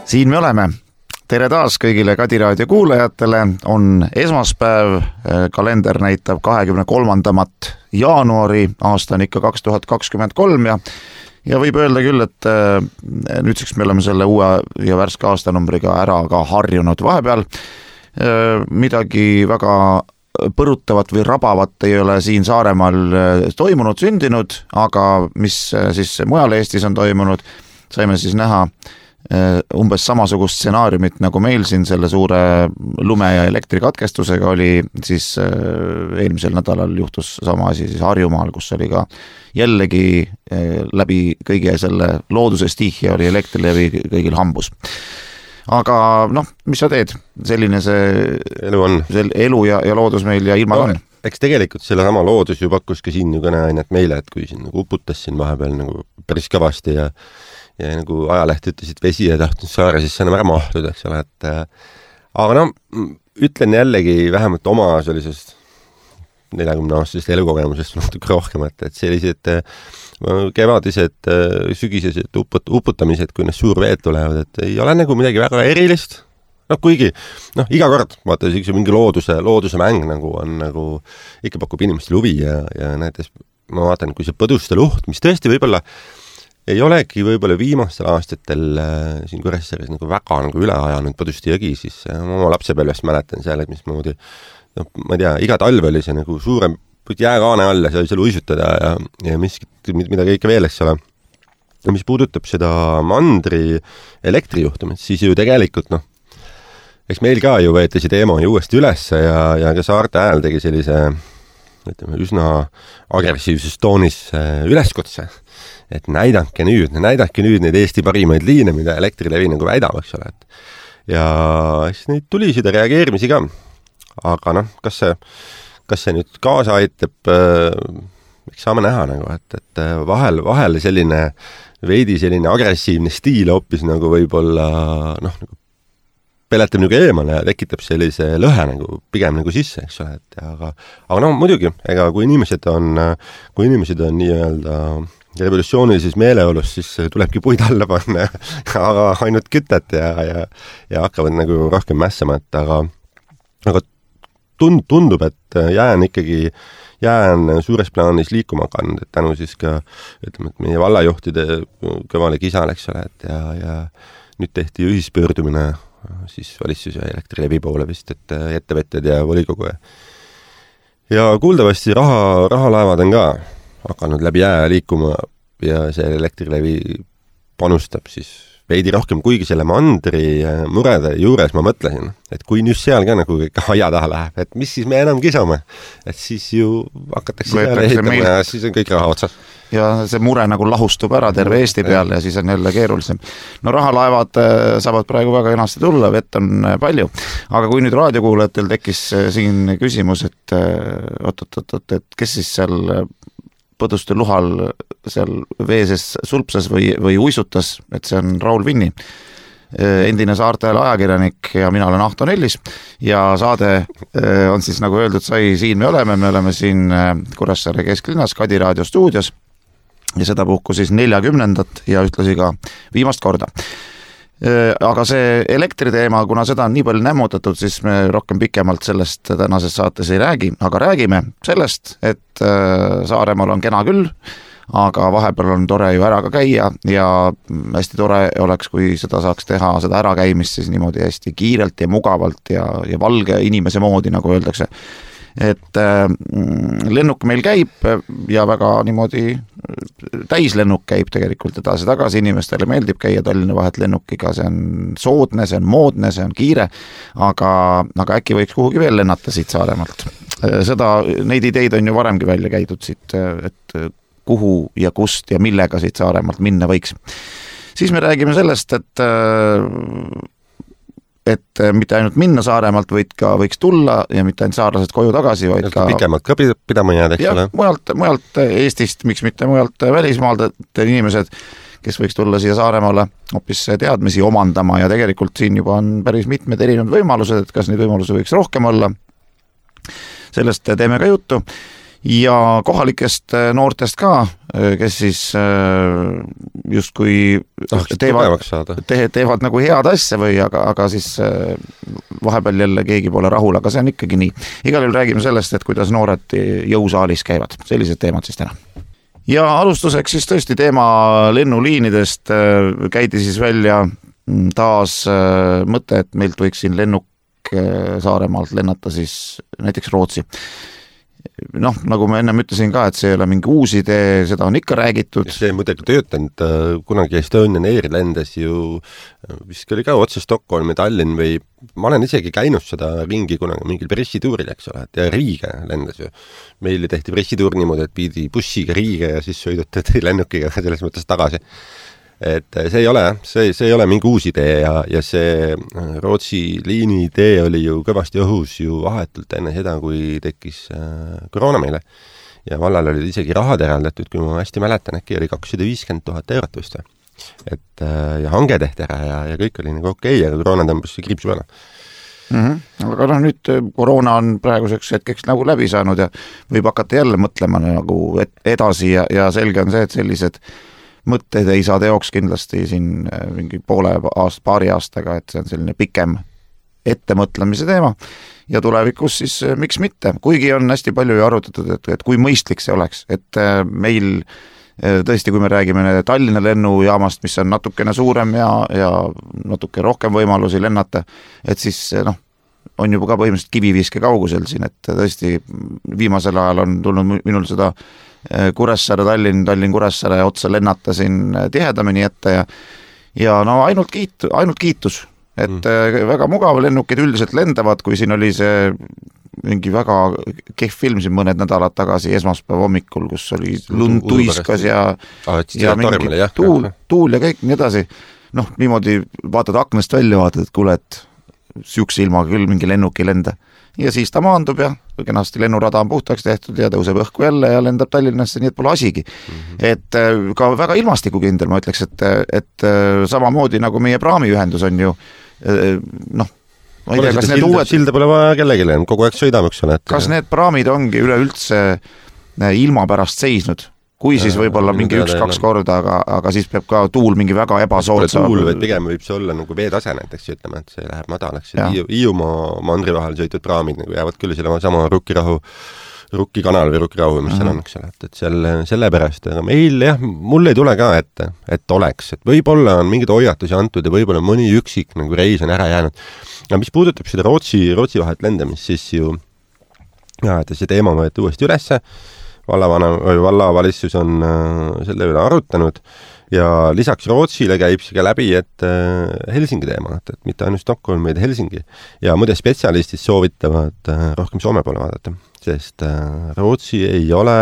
Siin me oleme. Tere taas kõigile Kadi Raadio kuulajatele. On esmaspäev, kalender näitab 23. jaanuari, aasta on ikka 2023 ja võib öelda küll, et nüüdseks me oleme selle uue ja värske aastanumbriga ära ka harjunud. Vahepeal midagi väga põrutavat või rabavat ei ole siin Saaremaal toimunud, sündinud, aga mis siis mujal Eestis on toimunud, saime siis näha umbes samasugust stsenaariumit nagu meil siin selle suure lume- ja elektrikatkestusega oli, siis eelmisel nädalal juhtus sama asi siis Harjumaal, kus oli ka jällegi läbi kõige selle looduse stihia oli Elektrilevi kõigil hambus. Aga mis sa teed? Selline see elu on. Elu ja loodus meil ja ilma on. Eks tegelikult selle sama loodus ju pakkus ka siin ju kõneainet meile, et kui siin nagu uputas siin vahepeal nagu päris kõvasti ja nagu ajaleht ütlesid vesi ja tahtnud saare, siis see on ära mahtud, eks ole, et aga ütlen jällegi vähemalt oma sellisest 40-aastasest elukogemusest natuke rohkem, et sellised kevadised, sügisesed uputamised, kui need suurveed tulevad, et ei ole nagu midagi väga erilist. Kuigi, iga kord, vaata, mingi looduse mäng nagu on nagu ikka pakub inimestele huvi ja näiteks ma vaatan, kui see põduste luht, mis tõesti võib-olla ei olegi võib-olla viimastel aastatel siin Kuressaares nagu väga nagu üle ajanud Põduste jõgi, siis oma lapsepõlvest mäletan seal, et mismoodi, ma ei tea, iga talv oli see nagu suurem jääkaane all ja sai seal uisutada ja miskit, mida kõike veel, eks ole. Ja mis puudutab seda mandri elektrijuhtumit, siis ju tegelikult, eks meil ka ju võeti see teema ju uuesti üles ja ka Saarte Hääl tegi sellise, ütleme, üsna agressiivses toonis üleskutse, et näidake nüüd neid Eesti parimaid liine, mida Elektrilevi nagu väidab, eks ole. Ja siis neid tuli seda reageerimisi ka. Aga kas see nüüd kaasa aitab, eks saame näha nagu, et vahel selline veidi selline agressiivne stiil hoopis nagu võib-olla nagu peletab nagu eemale ja tekitab sellise lõhe nagu pigem nagu sisse, eks ole. Aga muidugi, ega kui inimesed on nii-öelda revolutsioonilises meeleolus, siis tulebki puid alla panna, aga ainult kütet ja hakkavad nagu rohkem mässama, aga tundub, et jään suures plaanis liikuma kand, et tänu siis ka, ütleme, et meie vallajuhtide kõvale kisale, eks ole, ja nüüd tehti ühispöördumine siis valitsus ja Elektrilevi poole vist, et ettevõtjad ja volikogu ja kuuldavasti rahalaevad on ka hakanud läbi jää liikuma ja see Elektrilevi panustab siis veidi rohkem, kuigi selle mandri murede juures ma mõtlesin, et kui nüüd seal ka nagu aia taha läheb, et mis siis me enam kisame, et siis ju hakatakse peale ehitama ja siis on kõik raha otsas. Ja see mure nagu lahustub ära terve Eesti peal ja siis on jälle keerulisem. Rahalaevad saavad praegu väga kenasti tulla, vett on palju. Aga kui nüüd raadiokuulajatel tekkis siin küsimus, et et kes siis seal Põduste luhal seal veeses sulpsas või uisutas, et see on Raul Vinni, endine Saarte Hääle ajakirjanik ja mina olen Ahto Nellis ja saade on siis nagu öeldud sai, siin me oleme siin Kuressaare kesklinnas Kadi Raadio stuudios ja seda puhku siis 40. ja ühtlasi ka viimast korda. Aga see elektriteema, kuna seda on nii palju nämmutatud, siis me rohkem pikemalt sellest tänases saates ei räägi, aga räägime sellest, et Saaremaal on kena küll, aga vahepeal on tore ju ära ka käia ja hästi tore oleks, kui seda saaks teha, seda ärakäimist siis niimoodi hästi kiirelt ja mugavalt ja valge inimese moodi, nagu öeldakse. Et lennuk meil käib ja väga niimoodi täislennuk käib tegelikult edasi-tagasi, inimestele meeldib käia Tallinna vahet lennukiga, see on soodne, see on moodne, see on kiire, aga äkki võiks kuhugi veel lennata siit Saaremaalt. Neid ideid on ju varemgi välja käidud siit, et kuhu ja kust ja millega siit Saaremaalt minna võiks. Siis me räägime sellest, et mitte ainult minna Saaremaalt, võiks tulla ja mitte ainult saarlased koju tagasi, vaid ka pikemalt ka pidama jääda, eks ole. Mujalt Eestist, miks mitte mujalt välismaalt inimesed, kes võiks tulla siia Saaremaale hoopis teadmisi omandama ja tegelikult siin juba on päris mitmed erinevad võimalused, et kas neid võimalusi võiks rohkem olla. Sellest teeme ka juttu. ja kohalikest noortest ka, kes siis justkui teevad nagu head asja või aga siis vahepeal jälle keegi pole rahul, aga see on ikkagi nii. Igal juhul räägime sellest, et kuidas noored jõusaalis käivad. Sellised teemad siis täna. Ja alustuseks siis tõesti teema lennuliinidest käidi siis välja taas mõte, et meilt võiks siin lennuk Saaremaalt lennata siis näiteks Rootsi. Noh, nagu ma ennem ütlesin ka, et see ei ole mingi uus idee, seda on ikka räägitud. See muidugi töötanud, kunagi Estonian Air lendas ju, vist oli ka otse Stockholmi, Tallinn või ma olen isegi käinud seda ringi kunagi mingil pressituuril, eks ole, et ja Riiga lendas ju. Meile tehti pressituur niimoodi, et pidi bussiga Riiga ja siis sõidutati lennukiga selles mõttes tagasi. Et see ei ole mingi uus idee ja see Rootsi liini idee oli ju kõvasti õhus ju vahetult enne seda, kui tekkis koroona meile. Ja vallal olid isegi rahad eraldatud, kui ma hästi mäletan, äkki oli 250 000 eurot vist. Et ja hange tehti ära ja kõik oli nagu okei, aga koroona tõmbas kriipsu peale. Aga no nüüd koroona on praeguseks hetkeks nagu läbi saanud ja võib hakata jälle mõtlema nagu edasi ja selge on see, et sellised mõtteid ei saa teoks kindlasti siin mingi paari aastaga, et see on selline pikem ettemõtlemise teema ja tulevikus siis miks mitte, kuigi on hästi palju ju arutatud, et kui mõistlik see oleks, et meil tõesti, kui me räägime Tallinna lennujaamast, mis on natukene suurem ja natuke rohkem võimalusi lennata, et siis on juba ka põhimõtteliselt kiviviiske kaugusel siin, et tõesti viimasel ajal on tulnud minul seda Kuressaare, Tallinn Kuressaare otsa lennata siin tihedamini ette ja no ainult kiitus, et väga mugav lennukid üldiselt lendavad, kui siin oli see mingi väga kehv film siin mõned nädalad tagasi esmaspäeva hommikul, kus oli lund tuiskas ja mingi tuul ja kõik nii edasi. Noh, niimoodi vaatad aknast välja, vaatad, et kuule, et sihukese ilmaga küll mingi lennuk ei lenda. Ja siis ta maandub ja kenasti lennurada on puhtaks tehtud ja tõuseb õhku jälle ja lendab Tallinnasse, nii et pole asigi. Et ka väga ilmastikukindel, ma ütleks, et samamoodi nagu meie praamiühendus on ju, noh, ma ei tea, kas need uued... Silda pole vaja kellegile, kogu aeg sõidame, eks ole. Kas need praamid ongi üleüldse ilma pärast seisnud? Kui siis võib-olla mingi 1-2 korda, aga siis peab ka tuul mingi väga ebasoodsa... Tuul või pigem võib see olla nagu veetase näiteks, ütleme, et see läheb madalaks. Hiiumaa mandri vahel sõitud praamid nagu jäävad küll selle sama Rukkikanal või Rukkirahu, mis seal on, eks ole, et selle pärast, aga meil jah, mul ei tule ka et oleks, et võib-olla on mingid hoiatusi antud ja võib-olla mõni üksik nagu reis on ära jäänud. Aga mis puudutab seda Rootsi vahet lendamist, siis ju et see teema võeti uuesti ülesse, vallavalitsus on selle üle arutanud ja lisaks Rootsile käib see ka läbi, et Helsingi teema, et mitte ainult Stockholm, vaid Helsingi. Ja muide spetsialistid soovitavad rohkem Soome poole vaadata, sest Rootsi ei ole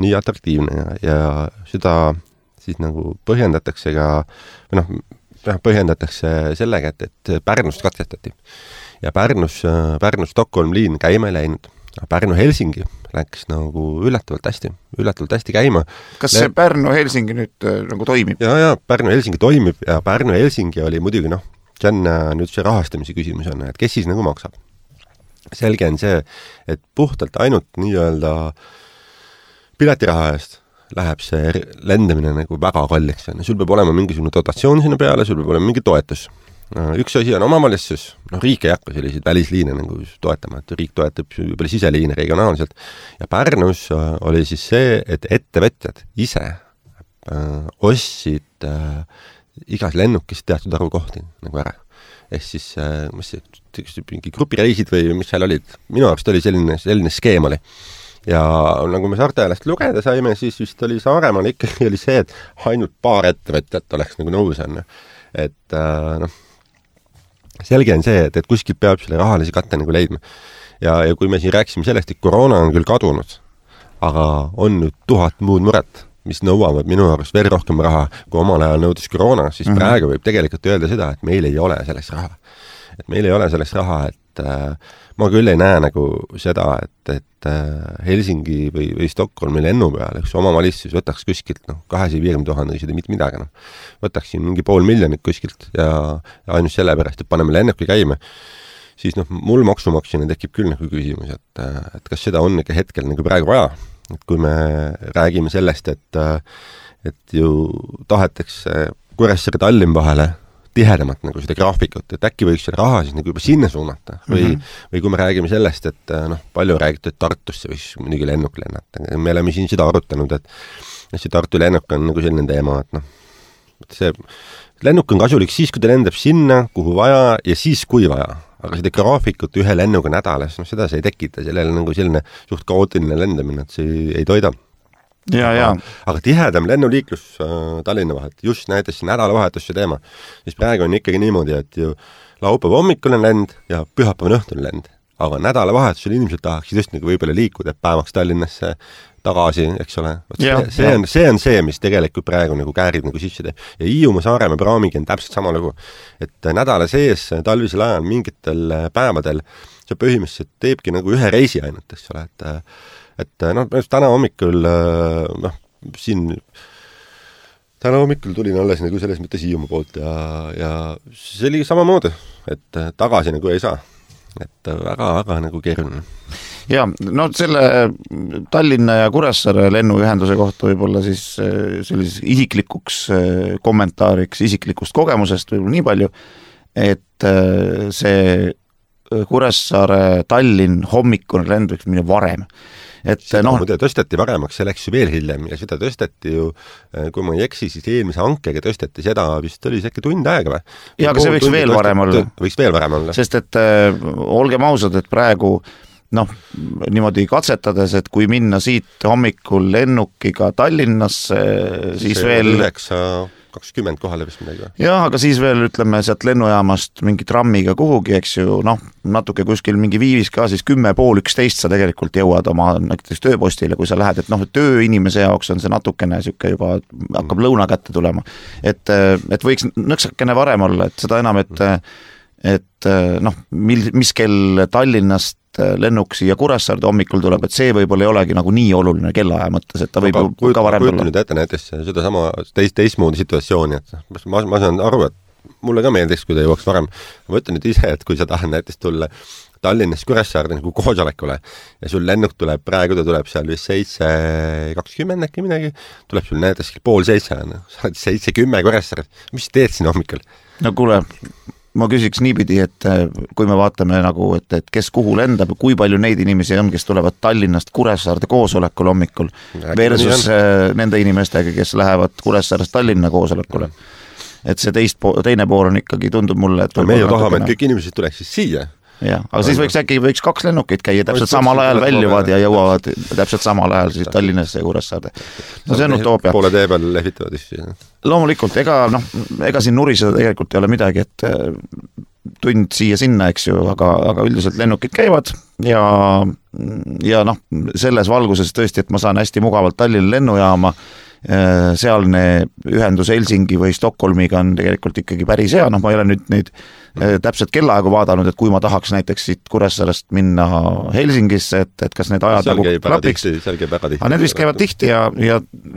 nii atraktiivne ja seda siis nagu põhjendatakse ka, põhjendatakse sellega, et Pärnust katkestati. Ja Pärnu-Stockholm liin käima ei läinud. Pärnu-Helsingi läks nagu üllatavalt hästi käima. Kas see Pärnu-Helsingi nüüd nagu toimib? Ja Pärnu-Helsingi toimib ja Pärnu-Helsingi oli muidugi, see on nüüd see rahastamise küsimus on, et kes siis nagu maksab. Selge on see, et puhtalt ainult nii-öelda piletiraha eest läheb see lendamine nagu väga kalliks. Sul peab olema mingisugune dotatsioon sinna peale, sul peab olema mingi toetus. Üks asi on omavalitsus, riik ei hakka selliseid välisliine nagu toetama, et riik toetab juba siseliine regionaalselt ja Pärnus oli siis see, et ettevõtjad ise ostsid igas lennukis teatud arvu kohti nagu ära. Ehk siis mingi grupireisid või mis seal olid, minu arust oli selline skeem oli. Ja nagu me Saarte-Häälest lugeda saime, siis vist oli Saaremaal ikkagi oli see, et ainult paar ettevõtjat oleks nagu nõus on. Et selge on see, et kuskilt peab selle rahalise katte nagu leidma. Ja kui me siin rääksime sellest, et koroona on küll kadunud, aga on nüüd 1000 muud muret, mis nõuavad minu arust veel rohkem raha, kui omal ajal nõudis koroona, siis praegu võib tegelikult öelda seda, et meil ei ole selleks raha. Et meil ei ole selleks raha, et ma küll ei näe nagu seda, et Helsingi või Stockholmi lennu peal, üks omavalitsus võtaks kuskilt 250 000 või mitte midagi. Võtaks siin mingi 500 000 kuskilt ja ainult selle pärast, et paneme lennuki käima. siis mul maksumaksjana tekib küll nagu küsimus, et kas seda on ikka hetkel nagu praegu vaja. Et kui me räägime sellest, et ju tahetakse Kuressaare Tallinn vahele tihedamat nagu seda graafikut, et äkki võiks selle raha siis nagu juba sinna suunata või kui me räägime sellest, et palju räägitud, et Tartusse võiks muidugi lennuk lennata. Me oleme siin seda arutanud, et see Tartu lennuk on nagu selline teema, et see lennuk on kasulik siis, kui ta lendab sinna, kuhu vaja ja siis, kui vaja. Aga seda graafikut ühe lennuga nädalas, seda see ei tekita, sellele nagu selline suht kaootiline lendamine, et see ei toida. Aga tihedam lennuliiklus Tallinna vahet, just näiteks nädalavahetusse teema, siis praegu on ikkagi niimoodi, et ju laupäeva hommikul on lend ja pühapäeva õhtul lend, aga nädalavahetusel inimesed tahaksid just nagu võib-olla liikuda päevaks Tallinnasse tagasi, eks ole. See on see, mis tegelikult praegu nagu käärib nagu sisse teeb. Ja Hiiumaa Saaremaa praamiga on täpselt sama lugu, et nädala sees talvisel ajal mingitel päevadel see põhimõtteliselt teebki nagu ühe reisi ainult, eks ole, et täna hommikul täna hommikul tulin alles nagu selles mõttes Hiiumaa poolt ja see oli samamoodi, et tagasi nagu ei saa, et väga nagu keeruline. Ja, selle Tallinna ja Kuressaare lennuühenduse kohta võib-olla siis sellises isiklikuks kommentaariks isiklikust kogemusest võib-olla nii palju, et see Kuressaare Tallinn hommikune lend võiks minna varem. Seda tõsteti varemaks, see läks ju veel hiljem ja seda tõsteti ju, kui ma ei eksi, siis eelmise hankega tõsteti seda, vist oli see äkki tund aega või? Ja, aga see võiks veel varem olla. Võiks veel varem olla. Sest et olgem ausad, et praegu niimoodi katsetades, et kui minna siit hommikul lennukiga Tallinnasse, siis see veel 9:20 kohale vist midagi. Jah, aga siis veel ütleme sealt lennujaamast mingi trammiga kuhugi, eks ju, natuke kuskil mingi viivis ka, siis 10:30 sa tegelikult jõuad oma näiteks tööpostile, kui sa lähed, et tööinimese jaoks on see natukene siuke juba hakkab lõuna kätte tulema. Et võiks nõksakene varem olla, et seda enam, et mis kell Tallinnast lennuk siia Kuressaarde hommikul tuleb, et see võib-olla ei olegi nagu nii oluline kellaaja mõttes, et ta võib ka varem tulla. Nüüd ette näiteks seda sama teistmoodi situatsiooni, et ma saan aru, et mulle ka meeldiks, kui ta jõuaks varem. Ma ütlen nüüd ise, et kui sa tahad näiteks tulla Tallinnast Kuressaarde nagu koosolekule ja sul lennuk tuleb, praegu ta tuleb seal vist 7:20 äkki midagi, tuleb sul näiteks 6:30, sa oled 7:10 Kuressaarde, mis teed siin hommikul? No kuule, ma küsiks niipidi, et kui me vaatame nagu, et kes kuhu lendab, kui palju neid inimesi on, kes tulevad Tallinnast Kuressaarde koosolekul hommikul versus nende inimestega, kes lähevad Kuressaarest Tallinna koosolekule. Et see teine pool on ikkagi, tundub mulle, et me ju tahame, et kõik inimesed tuleks siis siia. Ja, aga siis võiks 2 lennukit käia, täpselt samal ajal väljuvad ja jõuavad täpselt samal ajal siis Tallinnasse ja Kuressaarde. See on utoopia. Poole tee peal lehvitavad issi. Loomulikult, ega siin nuriseda tegelikult ei ole midagi, et tund siia-sinna, eks ju, aga üldiselt lennukid käivad ja selles valguses tõesti, et ma saan hästi mugavalt Tallinna lennujaama, sealne ühendus Helsingi või Stockholmiga on tegelikult ikkagi päris hea, ma ei ole nüüd neid täpselt kellaaegu vaadanud, et kui ma tahaks näiteks siit Kuressaarest minna Helsingisse, et kas need ajad nagu klapiks. Aga need vist käivad tihti ja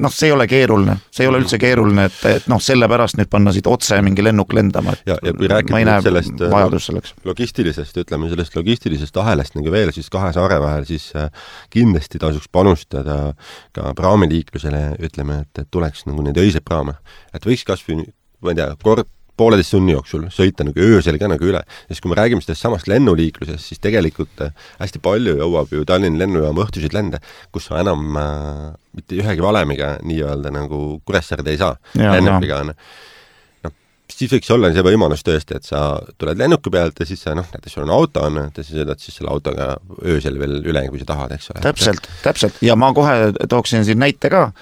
see ei ole keeruline. See ei ole üldse keeruline, et sellepärast nüüd panna siit otse mingi lennuk lendama. Ja kui rääkida sellest logistilisest ahelast nagu veel, siis 2 saare vahel, siis kindlasti tasuks panustada ka praamiliiklusele, ütleme, et tuleks nagu neid öiseid praame. Et võiks kasvõi, ma ei tea, kord 1,5 tunni jooksul sõita nagu öösel ka nagu üle. Ja kui me räägime sellest samast lennuliiklusest, siis tegelikult hästi palju jõuab ju Tallinna lennujaama õhtusid lende, kus sa enam mitte ühegi valemiga nii-öelda nagu Kuressaarde ei saa. Lennukiga on. Siis võiks olla see võimalus tõesti, et sa tuled lennuki pealt ja siis sa, näiteks sul on auto, et sa sõidad siis selle autoga öösel veel üle, kui sa tahad, eks ole. Täpselt. Ja ma kohe tooksin siin näite ka,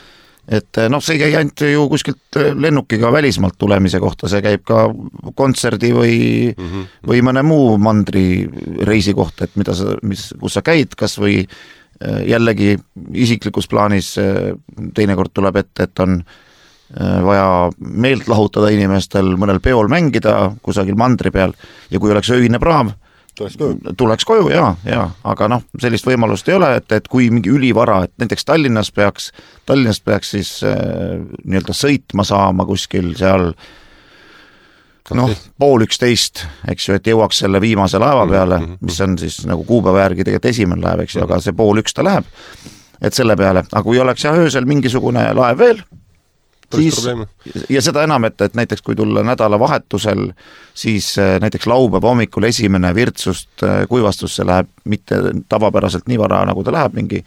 et see ei käi ainult ju kuskilt lennukiga välismaalt tulemise kohta, see käib ka kontserdi või mõne muu mandri reisi kohta, et kus sa käid, kas või jällegi isiklikus plaanis teinekord tuleb ette, et on vaja meelt lahutada inimestel, mõnel peol mängida kusagil mandri peal ja kui oleks öine praam, tuleks koju, jaa, aga sellist võimalust ei ole, et kui mingi ülivara, et näiteks Tallinnast peaks siis nii-öelda sõitma saama kuskil seal pool 11, eks ju, et jõuaks selle viimase laeva peale, mis on siis nagu kuupäeva järgi tegelikult esimene laev, eks ju, aga see pool 1 ta läheb, et selle peale, aga kui oleks öösel mingisugune laev veel, siis, ja seda enam, et näiteks kui tulla nädalavahetusel, siis näiteks laupäeva hommikul esimene virtsust kuivastusse läheb mitte tavapäraselt nii vara, nagu ta läheb mingi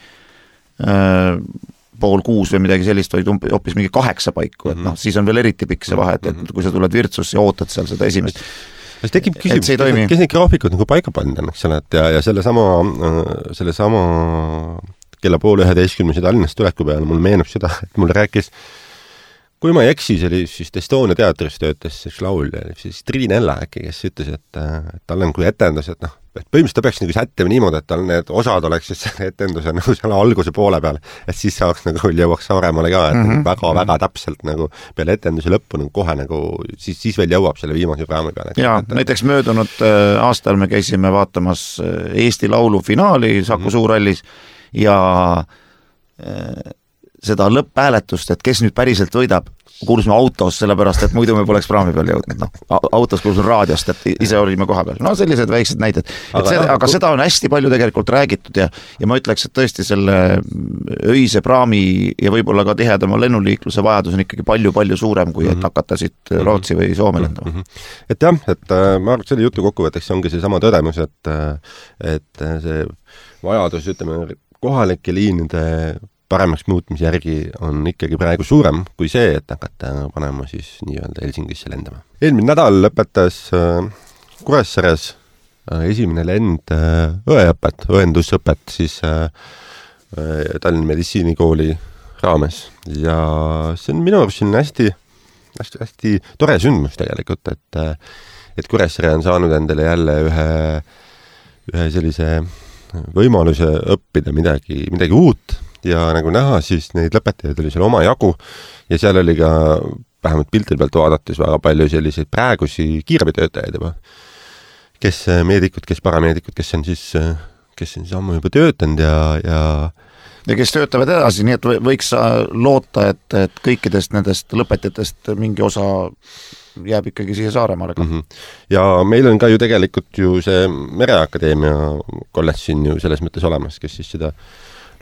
pool 6 või midagi sellist, vaid hoopis mingi 8 paiku, et siis on veel eriti pikk see vahe, et kui sa tuled virtsusse ja ootad seal seda esimest. Siis tekib küsimus, kes need graafikud nagu paika pannud on, eks ole, et ja selle sama kella pool 11 Tallinnast tuleku peale mul meenub seda, et mul rääkis, kui ma ei eksi, see oli siis Estonia teatris töötas üks laulja, siis Triin Ella äkki, kes ütles, et tal on kui etendus, et et põhimõtteliselt ta peaks nagu sättima niimoodi, et tal need osad oleks siis etenduse nagu selle alguse poole peal, et siis saaks nagu jõuaks Saaremaale ka, et väga-väga täpselt nagu peale etenduse lõppu nagu kohe nagu siis veel jõuab selle viimase raami peale. Jaa, näiteks möödunud aastal me käisime vaatamas Eesti Laulu finaali Saku Suurhallis ja seda lõpphääletust, et kes nüüd päriselt võidab, kuulsime autos, sellepärast, et muidu me poleks praami peal jõudnud. Autos kuulsime raadiost, et ise olime koha peal. Sellised väiksed näited. Aga seda on hästi palju tegelikult räägitud ja ma ütleks, et tõesti selle öise praami ja võib-olla ka tihedama lennuliikluse vajadus on ikkagi palju-palju suurem, kui et hakata siit Rootsi või Soome lendama. Et jah, et ma arvan, selle jutu kokkuvõtteks ongi see sama tõdemus, et see vajadus, ütleme, kohalike liinide paremaks muutmise järgi on ikkagi praegu suurem kui see, et hakata panema siis nii-öelda Helsingisse lendama. Eelmine nädal lõpetas Kuressaares esimene lend õendusõpet siis Tallinna Meditsiinikooli raames ja see on minu arust hästi tore sündmus tegelikult, et Kuressaare on saanud endale jälle ühe sellise võimaluse õppida midagi uut ja nagu näha, siis neid lõpetajaid oli seal oma jagu ja seal oli ka vähemalt piltide pealt vaadates väga palju selliseid praegusi kiirabitöötajaid juba, kes meedikud, kes parameedikud, kes on siis ammu juba töötanud ja kes töötavad edasi, nii et võiks loota, et kõikidest nendest lõpetajatest mingi osa jääb ikkagi siia Saaremaale ka. Ja meil on ka ju tegelikult ju see Mereakadeemia kolledž siin ju selles mõttes olemas, kes siis seda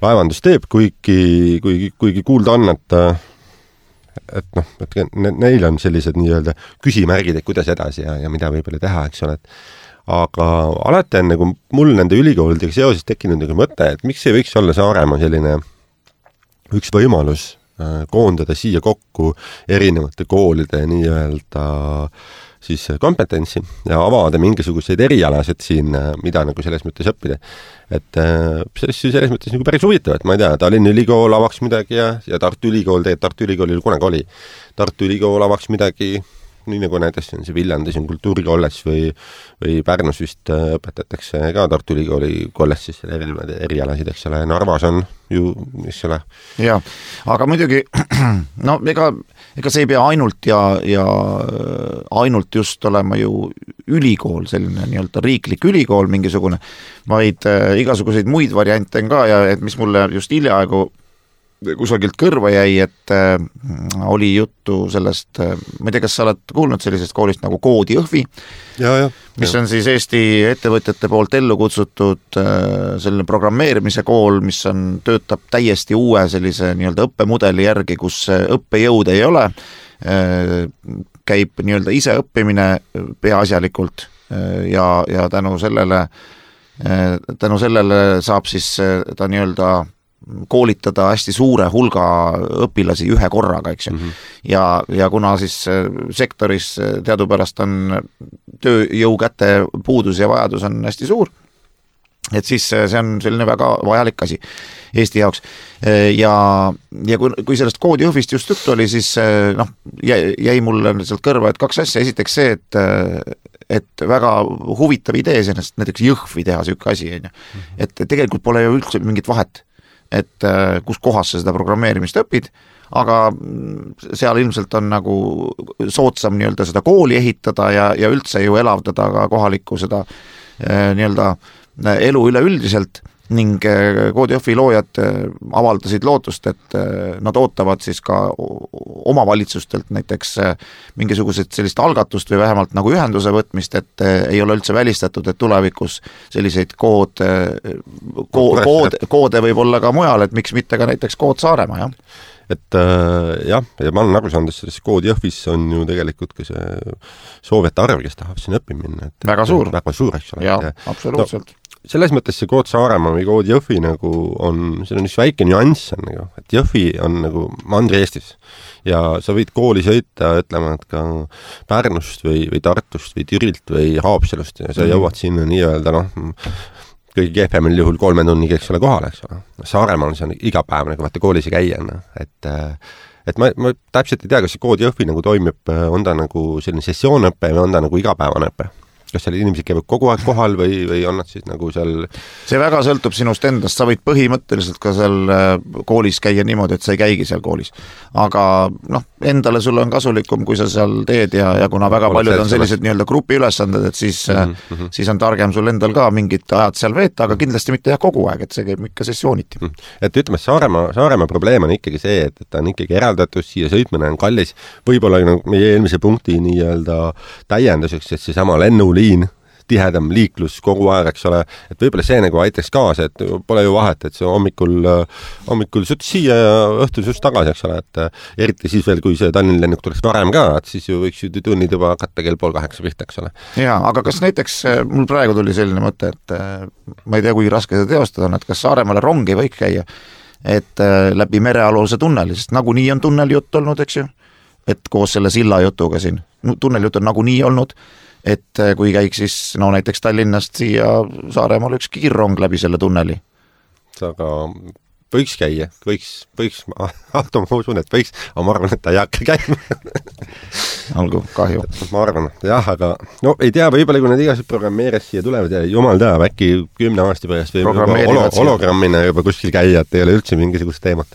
laevandus teeb, kuigi kuulda on, et neil on sellised nii-öelda küsimärgid, et kuidas edasi ja mida võib-olla teha, eks ole, aga alati on nagu mul nende ülikoolidega seoses tekkinud nagu mõte, et miks ei võiks olla Saaremaa selline üks võimalus koondada siia kokku erinevate koolide nii-öelda siis kompetentsi ja avada mingisuguseid erialasid siin, mida nagu selles mõttes õppida. Et selles mõttes nagu päris huvitav, et ma ei tea, Tallinna Ülikool avaks midagi ja Tartu Ülikool, Tartu Ülikoolil kunagi oli. Tartu Ülikool avaks midagi, nii nagu näiteks on see Viljandis on kultuurikolledž või Pärnus vist õpetatakse ka Tartu Ülikooli kolledžis erialasid, eks ole, Narvas on ju, mis ole. Jaa, aga muidugi, ega see ei pea ainult ja ainult just olema ju ülikool, selline nii-öelda riiklik ülikool mingisugune, vaid igasuguseid muid variante on ka ja et mis mulle just hiljaaegu kusagilt kõrva jäi, et oli juttu sellest, ma ei tea, kas sa oled kuulnud sellisest koolist nagu Koodi Jõhvi, mis on siis Eesti ettevõtjate poolt ellu kutsutud selline programmeerimise kool, mis töötab täiesti uue sellise nii-öelda õppemudeli järgi, kus õppejõud ei ole, käib nii-öelda ise õppimine peaasjalikult ja tänu sellele saab siis ta nii-öelda koolitada hästi suure hulga õpilasi ühe korraga, eks ju. Ja kuna siis sektoris teadupärast on tööjõu käte puudus ja vajadus on hästi suur, et siis see on selline väga vajalik asi Eesti jaoks. Ja kui sellest Koodi Jõhvist just juttu oli, siis jäi mulle sealt kõrva, et kaks asja. Esiteks see, et väga huvitav idee sellest näiteks Jõhvi teha siuke asi, et tegelikult pole ju üldse mingit vahet, et kus kohas sa seda programmeerimist õpid, aga seal ilmselt on nagu soodsam nii-öelda seda kooli ehitada ja üldse ju elavdada ka kohalikku seda nii-öelda elu üleüldiselt ning Koodi Jõhvi loojad avaldasid lootust, et nad ootavad siis ka omavalitsustelt näiteks mingisugused sellist algatust või vähemalt nagu ühenduse võtmist, et ei ole üldse välistatud, et tulevikus selliseid koode võib olla ka mujal, et miks mitte ka näiteks kood Saaremaa, jah. Et jah, ja ma olen aru saanud, et selles Koodi Jõhvis on ju tegelikult ka see soovijate arv, kes tahab sinna õppima minna. Väga suur, eks ole. Jah, absoluutselt. Selles mõttes see Kood Saaremaa või Koodi Jõhvi nagu see on üks väike nüanss on nagu, et Jõhvi on nagu Mandri-Eestis ja sa võid kooli sõita, ütlema, et ka Pärnust või Tartust või Türilt või Haapsalust ja sa jõuad sinna nii-öelda kõige kehvemil juhul 3 tunniga, eks ole, kohale, eks ole. Saaremaal on see iga päev nagu vaata koolis ja käia, et ma täpselt ei tea, kas see Koodi Jõhvi nagu toimib, on ta nagu selline sessioonõpe või on ta nagu igapäevane õpe? Kas seal inimesed käivad kogu aeg kohal või on nad siis nagu seal... See väga sõltub sinust endast, sa võid põhimõtteliselt ka seal koolis käia niimoodi, et sa ei käigi seal koolis. Aga endale sulle on kasulikum, kui sa seal teed ja kuna väga paljud on sellised nii-öelda grupiülesanded, et siis on targem sul endal ka mingid ajad seal veeta, aga kindlasti mitte kogu aeg, et see käib ikka sessiooniti. Et ütleme, Saaremaa probleem on ikkagi see, et ta on ikkagi eraldatud, siia sõitmine on kallis, võib-olla meie eelmise punkti nii-öelda täienduseks, et see sama lennuliin, tihedam liiklus kogu aeg, eks ole, et võib-olla see nagu aitaks kaasa, et pole ju vahet, et see hommikul sõt siia ja õhtul just tagasi, eks ole, et eriti siis veel, kui see Tallinna lennuk tuleks varem ka, et siis ju võiks ju tunnid juba hakata kell 7:30 pihta, eks ole. Jaa, aga kas näiteks, mul praegu tuli selline mõte, et ma ei tea, kui raske seda teostada on, et kas Saaremaale rongi võiks käia, et läbi merealuse tunneli, sest nagunii on tunnelijutt olnud, eks ju, et koos selle silla jutuga siin, tunnelijutt on nagunii olnud, et kui käiks siis näiteks Tallinnast siia Saaremaal üks kiirrong läbi selle tunneli. Aga võiks käia, võiks, ma usun, et võiks, aga ma arvan, et ta ei hakka käima. Olgu, kahju. Ma arvan, jah, aga ei tea, võib-olla kui need igased programmeerijad siia tulevad ja jumal teab, äkki 10 aasta pärast või hologrammina juba kuskil käia, et ei ole üldse mingisugust teemat.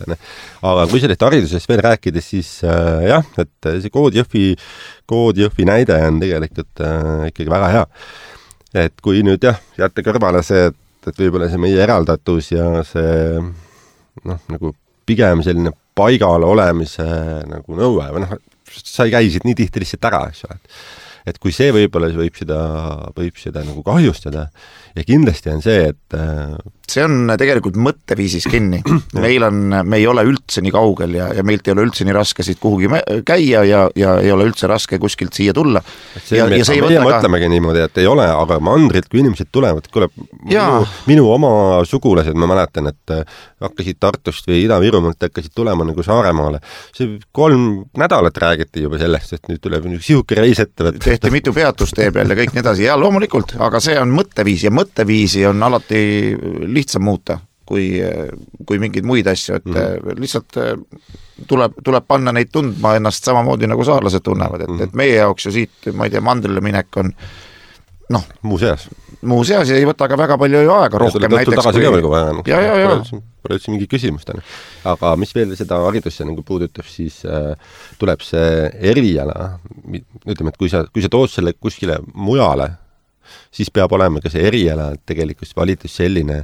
Aga kui sellest haridusest veel rääkida, siis jah, et see Koodi Jõhvi näide on tegelikult ikkagi väga hea. Et kui nüüd jätta kõrvale see, et võib-olla see meie eraldatus ja see nagu pigem selline paigal olemise nagu nõue või sa ei käi siit nii tihti lihtsalt ära, eks ole. Et kui see võib-olla võib seda nagu kahjustada ja kindlasti on see, et see on tegelikult mõtteviisis kinni. Me ei ole üldse nii kaugel ja meilt ei ole üldse nii raske siit kuhugi käia ja ei ole üldse raske kuskilt siia tulla. Meie mõtlemegi niimoodi, et ei ole, aga mandrilt, kui inimesed tulevad, minu oma sugulased, ma mäletan, et hakkasid Tartust või Ida-Virumaalt hakkasid tulema nagu Saaremaale. See 3 nädalat räägiti juba sellest, et nüüd tuleb sihuke reis ette. Tehti mitu peatust tee peal ja kõik nii edasi. Ja loomulikult, aga see on mõtteviis ja mõtteviisi on alati lihtsam muuta kui mingeid muid asju, et lihtsalt tuleb panna neid tundma ennast samamoodi nagu saarlased tunnevad, et meie jaoks ju siit, ma ei tea, mandrile minek on muu seas ja ei võta ka väga palju ju aega rohkem näiteks pole üldse mingi küsimust. Aga mis veel seda haridusse nagu puudutab, siis tuleb see eriala, ütleme, et kui sa tood selle kuskile mujale, siis peab olema ka see eriala tegelikult valitus selline,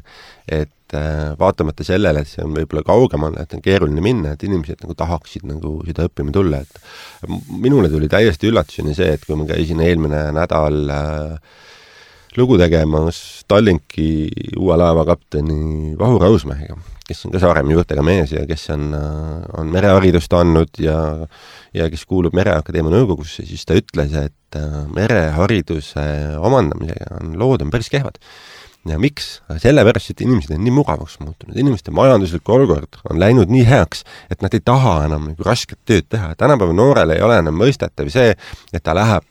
et vaatamata sellele, et see on võib-olla kaugemal, et on keeruline minna, et inimesed nagu tahaksid nagu seda õppima tulla. Et minule tuli täiesti üllatuseni see, et kui ma käisin eelmine nädal lugu tegemas Tallinki uue laevakapteni Vahur Rausmäega, kes on ka Saaremaa juurtega mees ja kes on mereharidust andnud ja kes kuulub Mereakadeemia nõukogusse, siis ta ütles, et merehariduse omandamisega lood on päris kehvad. Ja miks? Sellepärast, et inimesed on nii mugavaks muutunud. Inimeste majanduslik olukord on läinud nii heaks, et nad ei taha enam nagu rasket tööd teha. Tänapäeva noorel ei ole enam mõistetav see, et ta läheb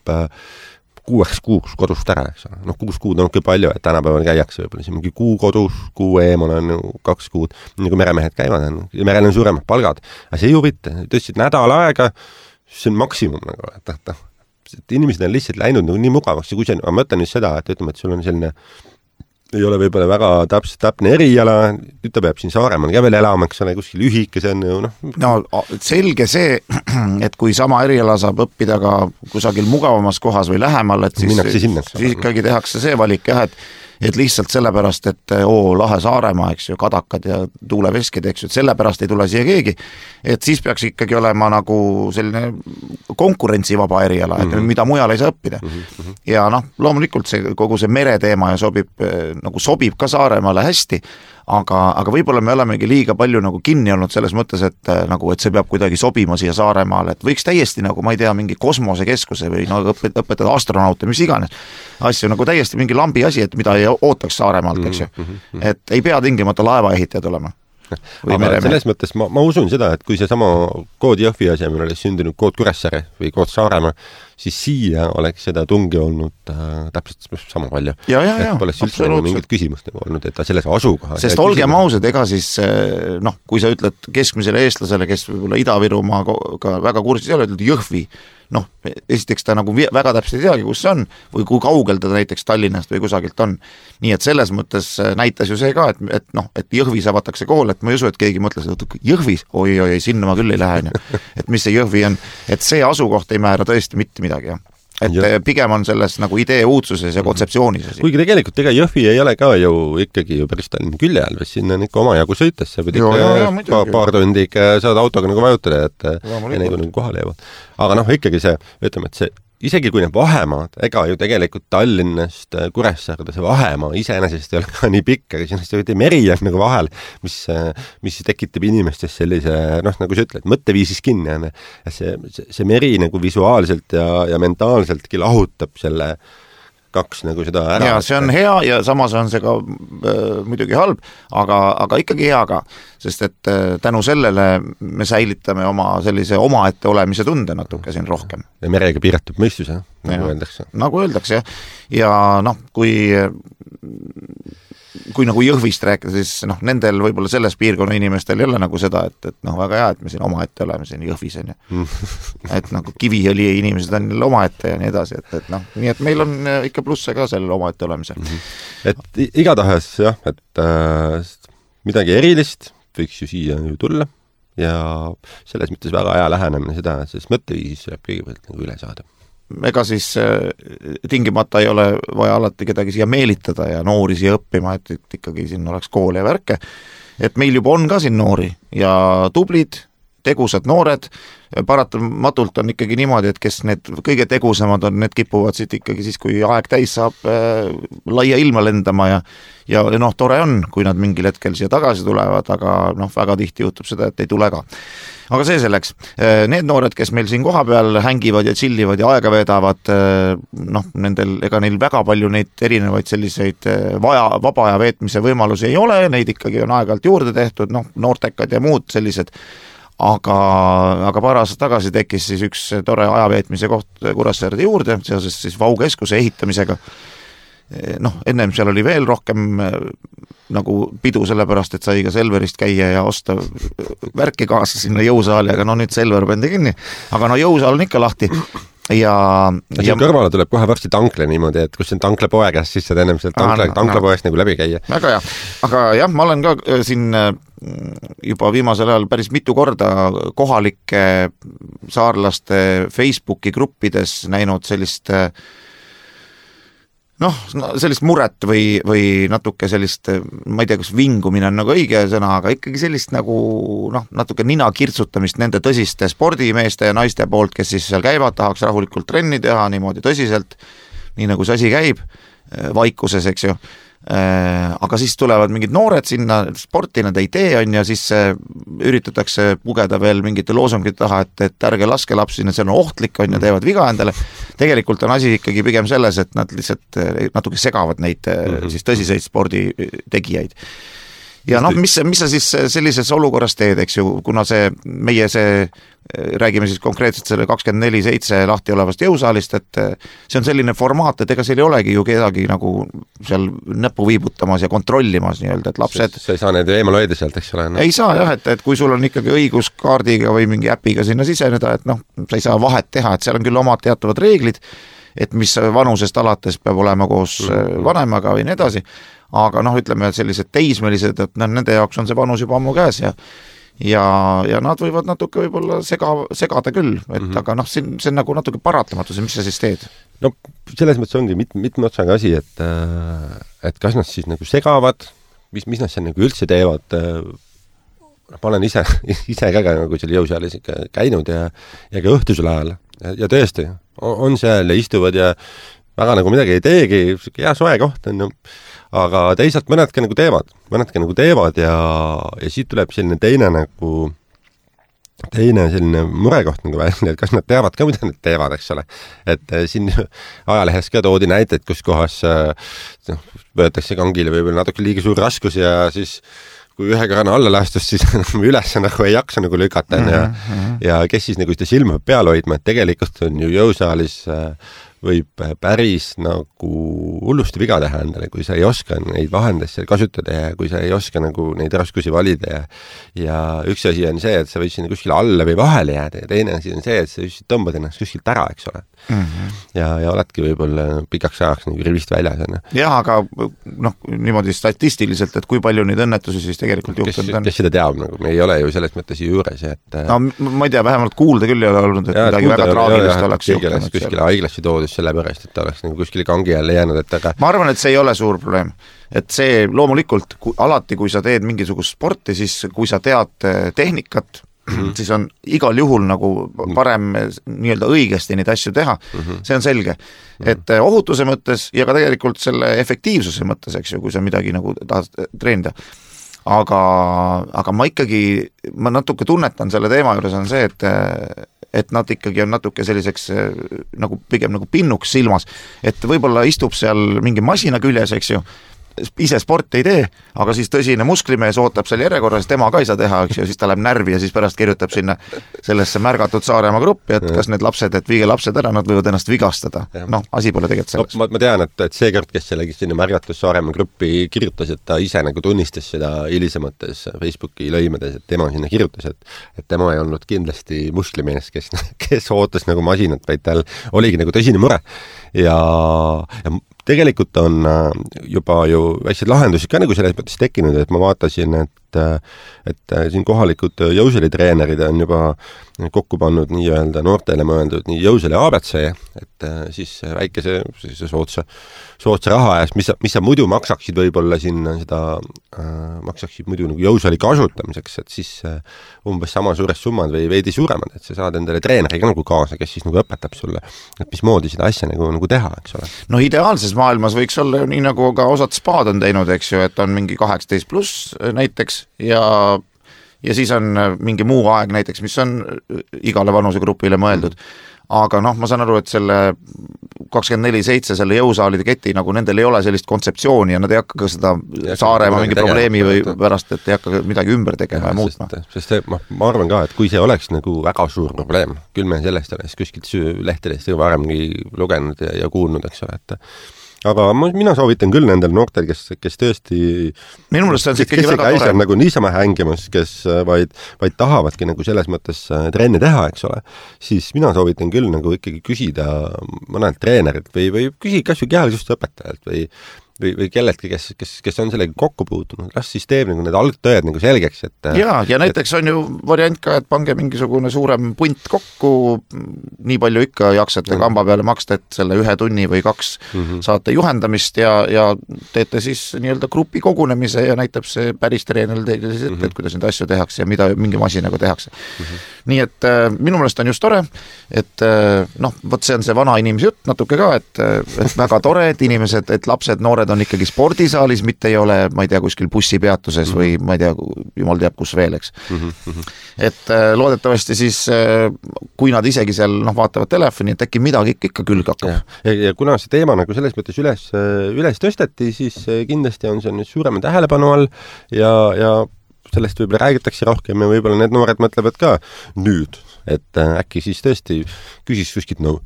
6 kuuks kodust ära, eks ole. 6 kuud on palju, et tänapäeval käiakse võib-olla mingi kuu kodus, kuu eemal on 2 kuud, nagu meremehed käivad, ja merel on suuremad palgad. Aga see ju mitte, tõstsid nädal aega, see on maksimum, nagu, et inimesed on lihtsalt läinud nagu nii mugavaks, ja kui see, ma mõtlen nüüd seda, et ütleme, et sul on selline ei ole võib-olla väga täpne eriala, nüüd ta peab siin Saaremaal ka veel elama, eks ole, kuskil ühike, see on ju selge see, et kui sama eriala saab õppida ka kusagil mugavamas kohas või lähemal, et siis ikkagi tehakse see valik, jah, et lihtsalt sellepärast, et lahe Saaremaa, eks ju, kadakad ja tuuleveskid, eks ju, et sellepärast ei tule siia keegi, et siis peaks ikkagi olema nagu selline konkurentsivaba eriala, et mida mujal ei saa õppida. Ja noh, loomulikult kogu see mereteema ja sobib ka Saaremaale hästi, aga võib-olla me olemegi liiga palju nagu kinni olnud selles mõttes, et see peab kuidagi sobima siia Saaremaale, et võiks täiesti ma ei tea, mingi kosmosekeskuse või õpetada astronaute, mis iganes asju, täiesti mingi lambi asi, et mida ei ootaks Saaremaalt, eks ju. Et ei pea tingimata laevaehitajad olema. Aga selles mõttes ma usun seda, et kui see sama kood Jõhvi asemel oleks sündinud kood Kuressaare või kood Saaremaa, siis siia oleks seda tungi olnud täpselt sama palju. Et poleks üldse mingit küsimust olnud, et ta selles asukoha. Sest olgem ausad, ega siis, kui sa ütled keskmisele eestlasele, kes võib-olla Ida-Virumaaga väga kursis ei ole, ütled Jõhvi, esiteks ta väga täpselt ei teagi, kus see on või kui kaugel ta näiteks Tallinnast või kusagilt on. Nii et selles mõttes näitas ju see ka, et Jõhvis avatakse kool, et ma ei usu, et keegi mõtles, et Jõhvis, oi, sinna ma küll ei lähe, et mis see Jõhvi on, et see asukoht ei määra tõesti mitte midagi, jah. Et pigem on selles idee uudsuses ja kontseptsioonis. Kuigi tegelikult Jõhvi ei ole ka ju ikkagi päris Tallinna külje all, või sinna on ikka omajagu sõites, sa pead ikka paar tundi ikka saad autoga vajutada, et enne kui kohale jäävad. Aga ikkagi see, ütleme, et see isegi kui need vahemaad, ega ju tegelikult Tallinnast Kuressaarde see vahemaa iseenesest ei ole ka nii pikk, aga sinna see meri on vahel, mis tekitab inimestes sellise, nagu sa ütled, mõtteviisis kinni. See meri visuaalselt ja mentaalseltki lahutab selle kaks seda ära. Ja see on hea ja samas on see ka muidugi halb, aga ikkagi hea ka, sest et tänu sellele me säilitame oma sellise omaette olemise tunde natuke siin rohkem. Ja merega piiratud mõistus, öeldakse. Nagu öeldakse, ja kui Jõhvist rääkida, siis nendel võib-olla selles piirkonna inimestel ei ole seda, et väga hea, et me siin omaette oleme siin Jõhvis, et Kiviõli inimesed on omaette ja nii edasi, et nii et meil on ikka plusse ka sellele omaette olemisel. Et igatahes jah, et midagi erilist võiks ju siia tulla ja selles mõttes väga hea lähenemine seda, sest mõtteviisis tuleb kõigepealt üle saada. Ega siis tingimata ei ole vaja alati kedagi siia meelitada ja noori siia õppima, et ikkagi siin oleks kool ja värke. Et meil juba on ka siin noori ja tublid, tegusad noored, paratamatult on ikkagi niimoodi, et kes need kõige tegusamad on, need kipuvad siit ikkagi siis, kui aeg täis saab laia ilma lendama ja tore on, kui nad mingil hetkel siia tagasi tulevad, aga väga tihti juhtub seda, et ei tule ka. Aga see selleks. Need noored, kes meil siin koha peal hängivad ja chillivad ja aega veedavad, ega neil väga palju neid erinevaid selliseid vaba aja veetmise võimalusi ei ole, neid ikkagi on aeg-ajalt juurde tehtud, noortekad ja muud sellised, aga paar aastat tagasi tekkis siis üks tore ajaveetmise koht Kuressaarde juurde, seoses siis Vau-keskuse ehitamisega. Ennem seal oli veel rohkem pidu sellepärast, et sai ka Selverist käia ja osta värki kaasa sinna jõusaali, aga nüüd Selver pandi kinni, aga jõusaal on ikka lahti ja kõrvale tuleb kohe varsti tankle niimoodi, et kus on tanklapoe käes, siis saad ennem seal tanklapoest läbi käia. Väga hea, aga jah, ma olen ka siin juba viimasel ajal päris mitu korda kohalike saarlaste Facebooki gruppides näinud sellist sellist muret või natuke sellist, ma ei tea, kas vingumine on õige sõna, aga ikkagi sellist natuke nina kirtsutamist nende tõsiste spordimeeste ja naiste poolt, kes siis seal käivad, tahaks rahulikult trenni teha niimoodi tõsiselt, nii nagu see asi käib, vaikuses, eks ju. Aga siis tulevad mingid noored sinna, sporti nad ei tee on ja siis üritatakse pugeda veel mingite loosungite taha, et ärge laske lapsi, see on ohtlik on ja teevad viga endale. Tegelikult on asi ikkagi pigem selles, et nad lihtsalt natuke segavad neid siis tõsiseid sporditegijaid. Ja mis sa siis sellises olukorras teed, eks ju, kuna räägime siis konkreetselt selle 24/7 lahti olevast jõusaalist, et see on selline formaat, et ega seal ei olegi ju kedagi seal näppu viibutamas ja kontrollimas nii-öelda, et lapsed... Sa ei saa need eemal hoida sealt, eks ole? Ei saa jah, et kui sul on ikkagi õigus kaardiga või mingi äpiga sinna siseneda, et sa ei saa vahet teha, et seal on küll omad teatavad reeglid, et mis vanusest alates peab olema koos vanemaga või nii edasi, aga ütleme, et sellised teismelised, et nende jaoks on see vanus juba ammu käes ja nad võivad natuke võib-olla segada küll, et aga noh, see on nagu natuke paratamatus, mis sa siis teed? No selles mõttes ongi mitme otsaga asi, et kas nad siis nagu segavad, mis nad seal nagu üldse teevad. Ma olen ise ka nagu seal jõusaalis ikka käinud ja ka õhtusel ajal ja tõesti on seal ja istuvad ja väga nagu midagi ei teegi, hea soe koht on, aga teisalt mõnedki nagu teevad ja siit tuleb selline teine selline murekoht nagu välja, et kas nad teavad ka, mida nad teevad, eks ole. Et siin ajalehes ka toodi näiteid, kus kohas võetakse kangile võib-olla natuke liiga suur raskus ja siis kui ühe korrana alla lastus, siis üles nagu ei jaksa nagu lükata ja kes siis nagu seda silma peal hoidma, et tegelikult on ju jõusaalis võib päris nagu hullusti viga teha endale, kui sa ei oska neid vahendeid seal kasutada ja kui sa ei oska nagu neid raskusi valida ja üks asi on see, et sa võid sinna kuskile alla või vahele jääda ja teine asi on see, et sa just tõmbad ennast kuskilt ära, eks ole. Ja oledki võib-olla pikaks ajaks nagu rivist väljas. Jah, aga noh, niimoodi statistiliselt, et kui palju neid õnnetusi siis tegelikult juhtunud on? Kes seda teab, nagu me ei ole ju selles mõttes juures, et no ma ei tea, vähemalt kuulda küll ei ole olnud, et midagi väga traagilist oleks juhtunud. Kuskile haiglasse toodus sellepärast, et ta oleks nagu kuskile kangi jälle jäänud, et aga ma arvan, et see ei ole suur probleem. Et see loomulikult, alati kui sa teed mingisugust sporti, siis kui sa tead tehnikat, siis on igal juhul nagu parem nii-öelda õigesti neid asju teha. See on selge. Et ohutuse mõttes ja ka tegelikult selle efektiivsuse mõttes, eks ju, kui sa midagi nagu tahad treenida. Aga ma natuke tunnetan selle teema juures on see, et nad ikkagi on natuke selliseks nagu pigem nagu pinnuks silmas, et võib-olla istub seal mingi masina küljes, eks ju, ise sport ei tee, aga siis tõsine musklimees ootab seal järjekorras, tema ka ei saa teha, eks ju, siis ta läheb närvi ja siis pärast kirjutab sinna sellesse märgatud Saaremaa gruppi, et kas need lapsed, et viige lapsed ära, nad võivad ennast vigastada. Noh, asi pole tegelikult selles. Ma tean, et see kord, kes sellegi sinna märgatud Saaremaa gruppi kirjutas, et ta ise nagu tunnistas seda hilisemates Facebooki lõimedes, et tema sinna kirjutas, et tema ei olnud kindlasti musklimees, kes ootas nagu masinat, vaid tal oligi nagu tõsine mure ja tegelikult on juba ju väikseid lahendusi ka nagu selles mõttes tekkinud, et ma vaatasin, et siin kohalikud jõusalitreenerid on juba kokku pannud nii-öelda noortele mõeldud nii jõusali ABC, et siis väikese sootsa raha eest, mis sa muidu maksaksid võib-olla sinna seda, maksaksid muidu nagu jõusali kasutamiseks, et siis umbes sama suured summad või veidi suuremad, et sa saad endale treeneri ka nagu kaasa, kes siis nagu õpetab sulle, et mismoodi seda asja nagu teha, eks ole. No ideaalses maailmas võiks olla ju nii, nagu ka osad spaad on teinud, eks ju, et on mingi 18+ näiteks ja siis on mingi muu aeg näiteks, mis on igale vanusegrupile mõeldud. Aga noh, ma saan aru, et selle 24/7 selle jõusaalide keti, nagu nendel ei ole sellist kontseptsiooni ja nad ei hakka ka seda Saaremaa mingi probleemi või pärast, et ei hakka midagi ümber tegema ja muutma. Sest ma arvan ka, et kui see oleks nagu väga suur probleem, küll me sellest oleks kuskilt lehtedest varemgi lugenud ja kuulnud, eks ole, et aga mina soovitan küll nendel noortel, kes tõesti minu meelest on see ikkagi väga tore. Nagu niisama hängimas, kes vaid tahavadki nagu selles mõttes trenni teha, eks ole, siis mina soovitan küll nagu ikkagi küsida mõnelt treenerilt või küsida kas või kehalist õpetajalt või kelletki, kes on sellega kokku puutunud, las siis teeb nagu need algtõed nagu selgeks, et ja näiteks on ju variant ka, et pange mingisugune suurem punt kokku, nii palju ikka jaksate kamba peale maksta, et selle 1 tunni või 2 saate juhendamist ja teete siis nii-öelda grupi kogunemise ja näitab see päris treener teile siis ette, et kuidas neid asju tehakse ja mida mingi masinaga tehakse. Nii et minu meelest on just tore, et noh, võt see on see vana inimese jutt natuke ka, et väga tore, et inimesed, et lapsed, noored on ikkagi spordisaalis, mitte ei ole, ma ei tea, kuskil bussipeatuses või ma ei tea, jumal teab kus veel, eks. Et loodetavasti siis, kui nad isegi seal vaatavad telefoni, et äkki midagi ikka külg hakkab. Ja kuna see teema nagu selles mõttes üles tõsteti, siis kindlasti on see nüüd suurema tähelepanu all ja sellest võib-olla räägitakse rohkem ja võib-olla need noored mõtlevad ka nüüd, et äkki siis tõesti küsis kuskilt nõu.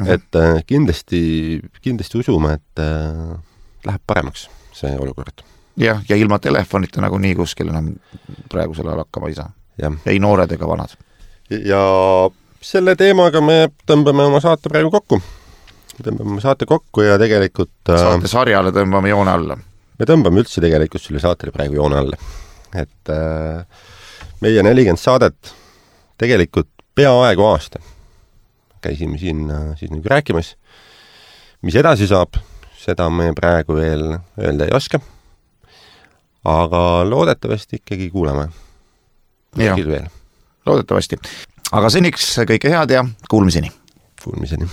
Et kindlasti usume, et läheb paremaks see olukord. Ja ilma telefonita nagu nii kuskil enam praegusel ajal hakkama ei saa. Ei noored ega vanad. Ja selle teemaga me tõmbame oma saate praegu kokku. Ja tegelikult saate sarjale tõmbame joone alla. Me tõmbame üldse tegelikult selle saatele praegu joone alla. Et meie 40 saadet tegelikult peaaegu aasta. Käisime siin siis nagu rääkimas, mis edasi saab, seda me praegu veel öelda ei oska. Aga loodetavasti ikkagi kuuleme. Veel. Loodetavasti. Aga seniks kõike head ja kuulmiseni. Kuulmiseni.